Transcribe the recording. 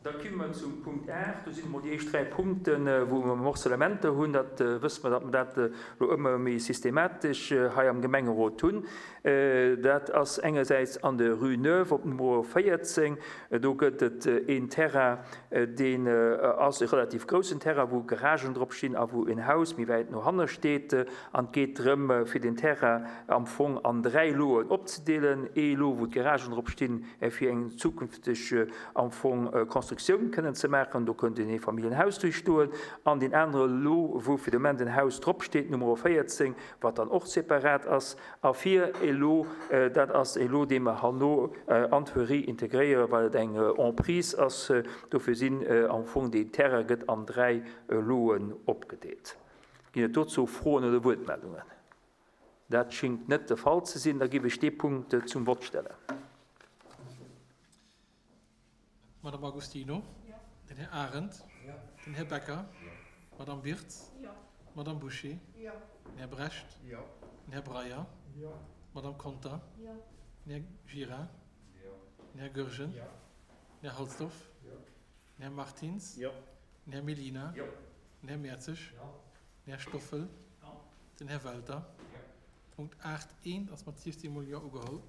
Da komme mer zum Punkt 8. Do sinn emol déi éischt 3 Punkten, wou mer Morcellementer hunn. Dat wësse mer, datt mer dat elo ëmmer méi systematesch hei am Gemengerot hunn. Dat ass engersäits an der Rue Neuve op Numero 14. Do gëtt et een Terrain, deen ass e relativ groussen Terrain, wou Garagen drop stinn a wou en Haus méi wäit no hanne steet. An et geet drëm, fir den Terrain am Fong an 3 Loen opzedeelen. Ee Lot, wou d'Garagen drop stinn, fir eng zukünfteg am Fong Constructioun kënnen ze maachen. Do kënnt en Eefamilljenhaus duerch stoen. An deen anere Lot, wou fir de Moment en Haus drop steet, Numero 14, wat dann och separat ass. A fir e Lot, dat ass e Lot, dee mer herno an d'Huerie integréieren, well et eng Emprise ass. Dofir sinn am Fong deen Terrain gëtt an 3 Loten opgedeelt. Ginn et dozou Froen oder Wuertmeldungen? Dat schingt net de Fall ze sinn. Da giff ech dee Punkt zum Vott stellen. D'Madame Agostino, den Här Arendt, den Här Becker, d'Madame Wirtz, d'Madame Bouché, den Här Brecht, den Här Breyer, d'Madame Conter, den Här Gira, den Här Goergen, den Här Halsdorf, den Här Martins, den Här Mellina, den Här Mertzig, Den Här Stoffel. Den Här Welter. Punkt 8 I ass mat 16 mol Jo ugeholl.